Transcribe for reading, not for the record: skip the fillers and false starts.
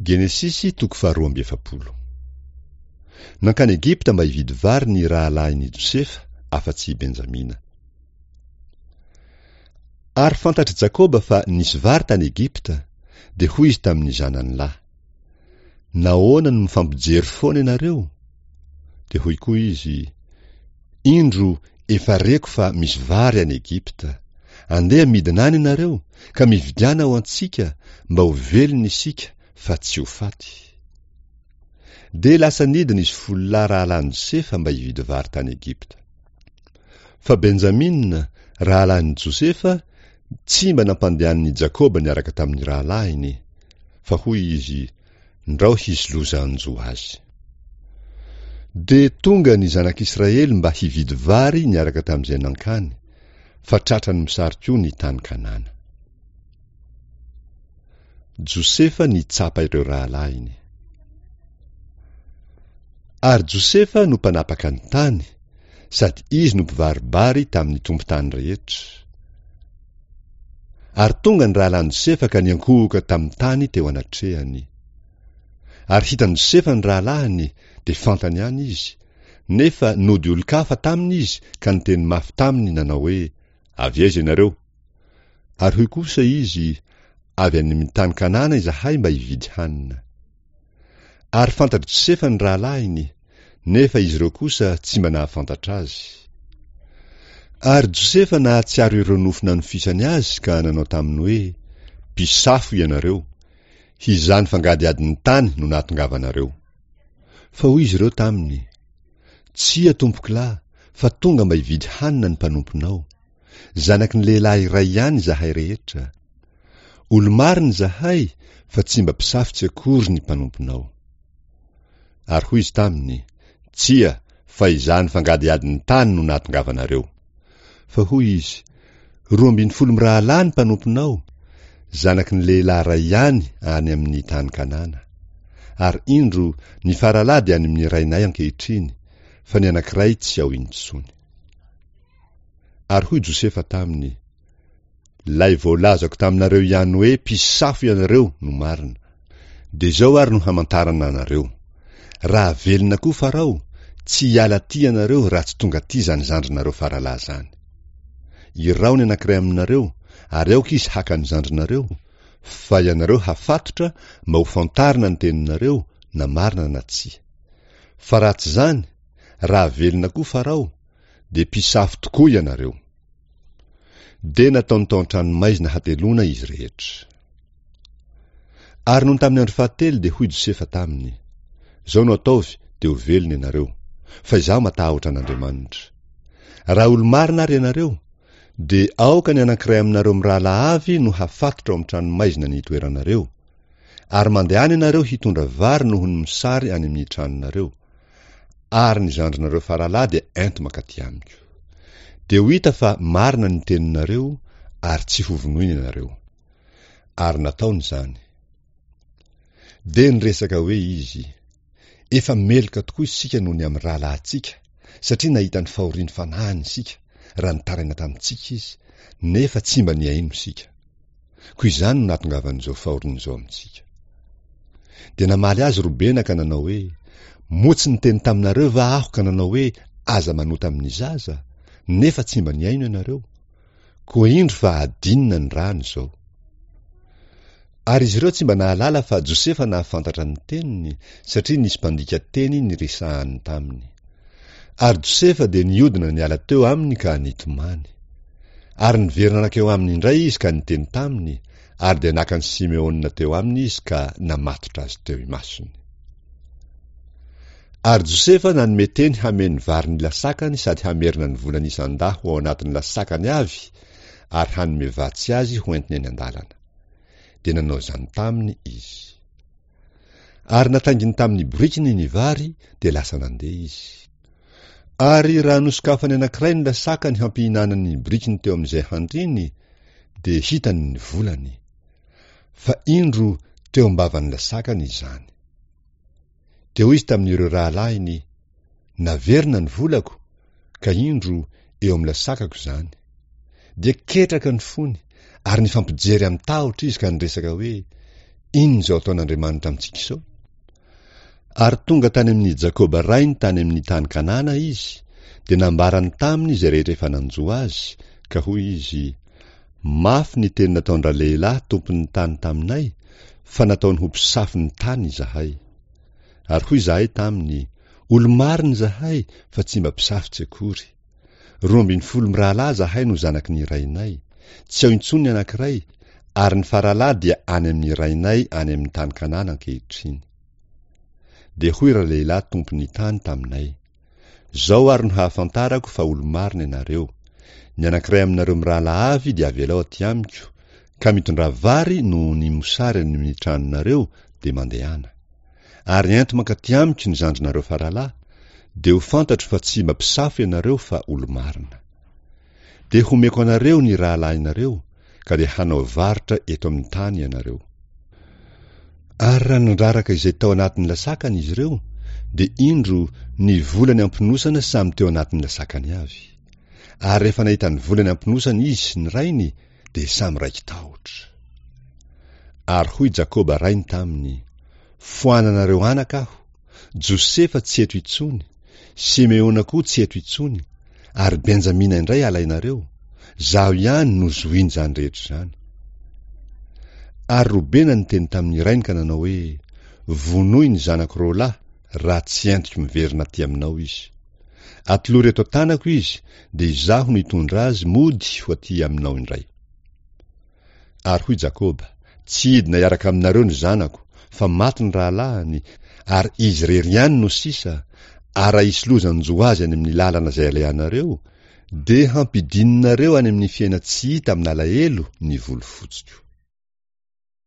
Genesisy toko faharoa amby efapolo. Nankany Egypta mba hividy vary ny rahalahin' i Josefa, afa-tsy i Benjamina. Ary fantatr'i Jakoba fa nisy vary tany Egypta, dia hoy izy tamin'ny zanany lahy, Nahoana no mifampijery foana ianareo? Dia hoy koa izy, Indro efa reko fa misy vary any Egypta. Andeha midina any ianareo, ka mividiana ho antsika, mba ho velona isika, fa tsy ho faty. Dia lasa nidina izy folo lahy rahalahin'i Josefa mba hividy vary tany Egypta. Fa Benjamina, rahalahin'i Josefa, tsy mba nampandehanin'i Jakoba niaraka tamin'ny rahalahiny, fa hoy izy, Ndrao hisy loza hanjo azy. Dia tonga ny zanak'Israely mba hividy vary niaraka tamin'izay nankany, fa tratran'ny mosary koa ny tany Kanana. Josefa nitsapa ireo rahalahiny. Ary Josefa no mpanapaka ny tany, sady izy no mpivaribary tamin'ny tompon-tany rehetra. Ary tonga ny rahalahin'i Josefa ka niankohoka tamin'ny tany teo anatrehany. Ary hitan'i Josefa ny rahalahiny, dia fantany ihany izy, nefa nody olon-kafa taminy izy ka niteny mafy taminy nanao hoe, Avy aiza ianareo? Ary hoy kosa izy, Avy any amin'ny tany Kanana izahay mba hividy hanina. Ary fantatr'i Josefa ny rahalahiny, nefa izy ireo kosa tsy mba nahafantatra azy. Ary Josefa nahatsiaro ireo nofy nanofisany azy ka nanao taminy hoe, Mpisafo ianareo! Hizaha ny fangadihadin'ny tany no nahatongavanareo. Fa hoy izy ireo taminy, Tsia, tompokolahy, fa tonga mba hividy hanina ny mpanomponao. Zanaky ny lehilahy iray ihany izahay rehetra. Olo-marina izahay, fa tsy mba mpisafo tsy akory ny mpanomponao. Ary hoy izy taminy, Tsia, fa izany fangadihadin'ny tany no nahatongavanareo. Fa hoy izy, 12 mirahalahy ny mpanomponao, zanaky ny lehilahy iray ihany any amin'ny tany Kanana. Ary indro, ny faralahy dia any amin'ny rainay ankehitriny, fa ny anankiray tsy ao intsony. Ary hoy Josefa taminy, Ilay voalazako taminareo ihany hoe mpisafo ianareo no marina. Dia izao ary no hamantarana anareo, Raha velona koa Farao, tsy hiala aty ianareo raha tsy tonga aty izany zandrinareo faralahy izany. Iraho ny anankiray aminareo, ary aoka izy haka ny zandrinareo, fa ianareo hafatotra mba ho fantarina ny teninareo na marina na tsia. Fa raha tsy izany, raha velona koa Farao, dia mpisafo tokoa ianareo. Dia nataony tao an-tranomaizina hateloana izy rehetra. Ary nony tamin'ny andro fahatelo dia hoy Josefa taminy, Izao no ataovy dia ho velona ianareo, fa izaho matahotra an'Andriamanitra. Raha olo-marina ary ianareo, dia aoka ny anankiray aminareo mirahalahy avy no hafatotra ao amin'ny tranomaizina ny hitoeranareo, ary mandehana ianareo hitondra vary noho ny mosary any amin'ny tranonareo, ary ny zandrinareo faralahy dia ento mankaty amiko. Dia ho hita fa marina ny teninareo ary tsy hovonoina ianareo. Ary nataony izany. Dia niresaka hoe izy, Efa meloka tokoa isika noho ny amin'ny rahalahintsika, satria nahita ny fahorian'ny fanahiny isika, raha nitaraina tamintsika izy, nefa tsy mba nihaino isika. Koa izany no nahatongavan'izao fahoriana izao amintsika. Dia namaly azy Robena ka nanao hoe, Moa tsy niteny taminareo va aho ka nanao hoe, Aza manota amin'ny zaza? Nefa tsy mba nihaino ianareo. Koa indro fa adinina ny rany izao. Ary izy ireo tsy mba nahalala fa Josefa nahafantatra ny teniny, satria nisy mpandika teny niresahany taminy. Ary Josefa dia nihodina niala teo aminy ka nitomany. Ary niverina nankeo aminy indray izy ka niteny taminy, ary dia naka an'i Simeona teo aminy izy ka namatotra azy teo imasony. Ary Josefa nanome teny hameno vary ny lasakany sady hamerina ny volany isan-dahy ho ao anatin'ny lasakany avy ary hanome vatsy azy ho entiny eny an-dalana. Dia nanao izany taminy izy. Ary natainginy tamin'ny borikiny ny vary, dia lasa nandeha izy. Ary raha nosokafany anankiray ny lasakany hampihinanany ny borikiny teo amin'izay handriny, dia hitany ny volany. Fa indro teo am-bavan'ny lasakany izany. Dia hoy izy tamin'ireo rahalahiny, Naverina ny volako, ka indro eo amin'ny lasakako izany. Dia ketraka ny fony, ary nifampijery amin-tahotra izy ka niresaka hoe, Inona izao ataon'Andriamanitra amintsika izao? Ary tonga tany amin'i Jakoba rainy tany amin'ny tany Kanana izy, dia nambarany taminy izay rehetra efa nanjo azy, ka hoy izy, Mafy ny teny nataon-dralehilahy tompon'ny tany taminay, fa nataony ho mpisafo ny tany izahay. Ary hoy izahay taminy, Olo-marina izahay, fa tsy mba mpisafo tsy akory. 12 mirahalahy izahay no zanaky ny rainay, tsy ao intsony ny anankiray, ary ny faralahy dia any amin'ny rainay any amin'ny tany Kanana ankehitriny. Dia hoy ralehilahy tompon'ny tany taminay, Izao ary no hahafantarako fa olo-marina ianareo, ny anankiray aminareo mirahalahy avy dia avelao aty amiko, ka mitondrà vary noho ny mosary any amin'ny tranonareo, dia mandehana. Ary ento mankaty amiko ny zandrinareo faralahy, dia ho fantatro fa tsy mba mpisafo ianareo fa olo-marina. Dia homeko anareo ny rahalahinareo, ka dia hanao varotra eto amin'ny tany ianareo. Ary raha nandraraka izay tao anatin'ny lasakany izy ireo, dia indro, ny volany am-ponosana samy teo anatin'ny lasakany avy. Ary rehefa nahita ny volany am-ponosana izy sy ny rainy, dia samy raiki-tahotra. Ary hoy Jakoba rainy taminy, Foananareo anaka aho, Josefa tsy eto intsony, Simeona koa tsy eto intsony, ary Benjamina indray alainareo, zaho ihany no zohin'izany rehetra izany. Ary Robena niteny tamin'ny rainy ka nanao hoe, Vonoy ny zanako roalahy, raha tsy entiko miverina aty aminao izy. Atolory eto an-tanako izy, dia izaho no hitondra azy mody ho aty aminao indray. Ary hoy Jakoba, Tsy hidina hiaraka aminareo ny zanako, fa maty ny rahalahiny, ary izy irery ihany no sisa, ary raha hisy loza hanjo azy any amin'ny lalana izay alehanareo, dia hampidininareo any amin'ny fiainan-tsy hita amin'alahelo ny volo fotsiko.